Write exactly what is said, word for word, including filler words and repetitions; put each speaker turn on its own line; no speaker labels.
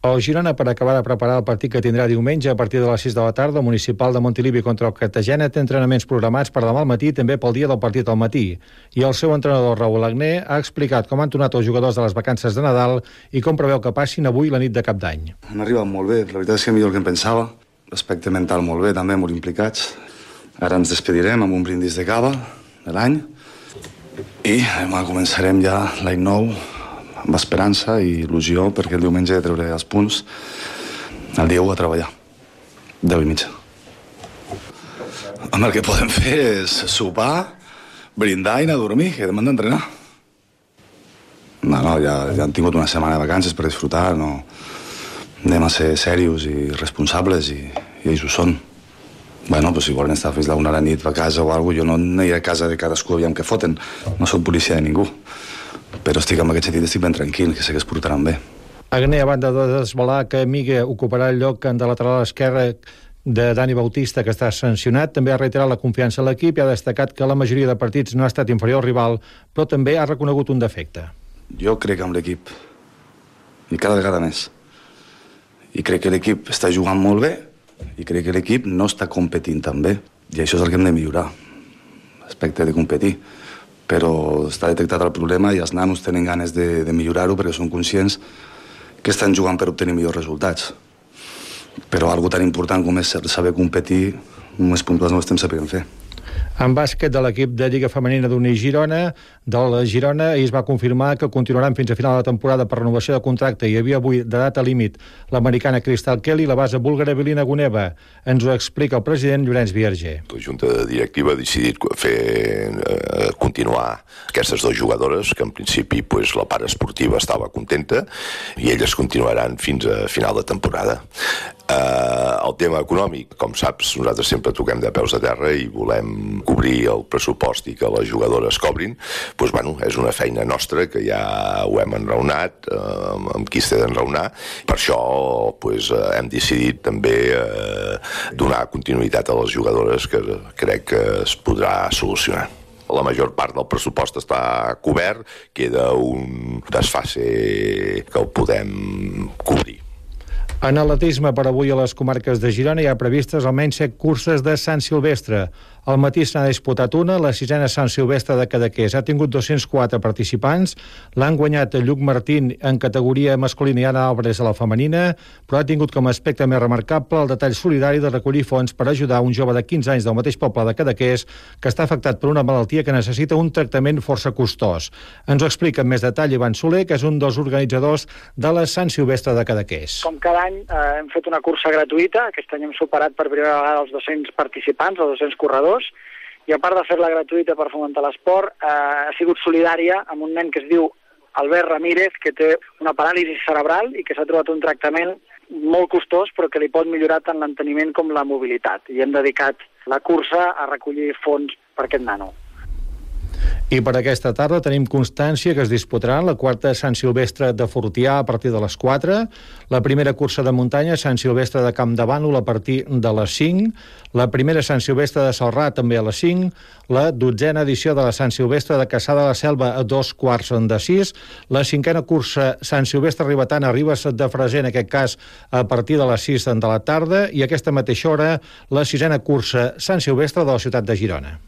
El Girona, per acabar de preparar el partit que tindrà diumenge a partir de les sis de la tarda, el Municipal de Montilivi contra el Cartagena té entrenaments programats per demà al matí i també pel dia del partit al matí. I el seu entrenador, Raúl Agné, ha explicat com han tornat els jugadors de les vacances de Nadal i com preveu que passin avui la nit de Cap d'Any.
Han arribat molt bé, la veritat és que millor que em pensava. L'aspecte mental molt bé, també molt implicats. Ara ens despedirem amb un brindis de cava de l'any i demà començarem ja l'any nou amb esperança i il·lusió, perquè el diumenge he de treure els punts, el dia u a treballar, deu i mitja. Home, el que podem fer és sopar, brindar i anar a dormir, que demà hem d'entrenar. No, no, ja, ja han tingut una setmana de vacances per disfrutar, no anem a ser serios i responsables i, i ells ho són. Bueno, doncs si volen estar fins a la una a la nit a casa o alguna cosa, jo no aniré a casa de cadascú aviam què foten, no soc policia de ningú. Però estic en aquest sentit, estic ben tranquil, que sé que es portaran bé.
Agné, a banda de desvelar que Migue ocuparà el lloc de lateral esquerre de Dani Bautista, que està sancionat, també ha reiterat la confiança en l'equip i ha destacat que la majoria de partits no ha estat inferior al rival, però també ha reconegut un defecte.
Jo crec en l'equip, i cada vegada més. I crec que l'equip està jugant molt bé, i crec que l'equip no està competint tan bé. I això és el que hem de millorar, l'aspecte de competir. Però està detectat el problema i els nanos tenen ganes de, de millorar-ho perquè són conscients que estan jugant per obtenir millors resultats. Però algo tan important com és saber competir, només puntuals no ho estem sabent fer.
En bàsquet de l'equip de Lliga Femenina d'Uni Girona, del Girona, ahir es va confirmar que continuaran fins a final de temporada per renovació de contracte. Hi havia avui de data límit l'americana Crystal Kelly i la base búlgara Vilina Guneva. Ens ho explica el president Llorenç Vierger.
La Junta Directiva ha decidit fer, eh, continuar aquestes dues jugadores, que en principi pues, la part esportiva estava contenta, i elles continuaran fins a final de temporada. Eh, el tema econòmic, com saps, nosaltres sempre toquem de peus a terra i volem cobrir el pressupost i que les jugadores cobrin. Doncs, bueno, és una feina nostra que ja ho hem enraonat, eh, amb qui s'ha d'enraonar. Per això pues, hem decidit també eh, donar continuïtat a les jugadores, que crec que es podrà solucionar. La major part del pressupost està cobert, queda un desfase que el podem cobrir.
En atletisme, per avui a les comarques de Girona hi ha previstes almenys set curses de Sant Silvestre. Al matí se n'ha disputat una, la sisena Sant Silvestre de Cadaqués. Ha tingut dos-cents quatre participants, l'han guanyat Lluc Martín en categoria masculina i Anna Álvarez a la femenina, però ha tingut com a aspecte més remarcable el detall solidari de recollir fons per ajudar un jove de quinze anys del mateix poble de Cadaqués que està afectat per una malaltia que necessita un tractament força costós. Ens ho explica amb més detall Ivan Soler, que és un dels organitzadors de la Sant Silvestre de Cadaqués.
Com cada any eh, hem fet una cursa gratuïta, aquest any hem superat per primera vegada els dos-cents participants, els dos-cents corredors, i a part de fer-la gratuïta per fomentar l'esport, eh, ha sigut solidària amb un nen que es diu Albert Ramírez, que té una paràlisi cerebral i que s'ha trobat un tractament molt costós, però que li pot millorar tant l'enteniment com la mobilitat. I hem dedicat la cursa a recollir fons per aquest nano.
I per aquesta tarda tenim constància que es disputarà la quarta Sant Silvestre de Fortià a partir de les quatre, la primera cursa de muntanya Sant Silvestre de Camp de Bànol a partir de les cinc, la primera Sant Silvestre de Celrà també a les cinc, la dotzena edició de la Sant Silvestre de Cassà de la Selva a dos quarts de sis, la cinquena cursa Sant Silvestre Ribetana a Ribes de Freser, en aquest cas a partir de les sis de la tarda, i aquesta mateixa hora la sisena cursa Sant Silvestre de la ciutat de Girona.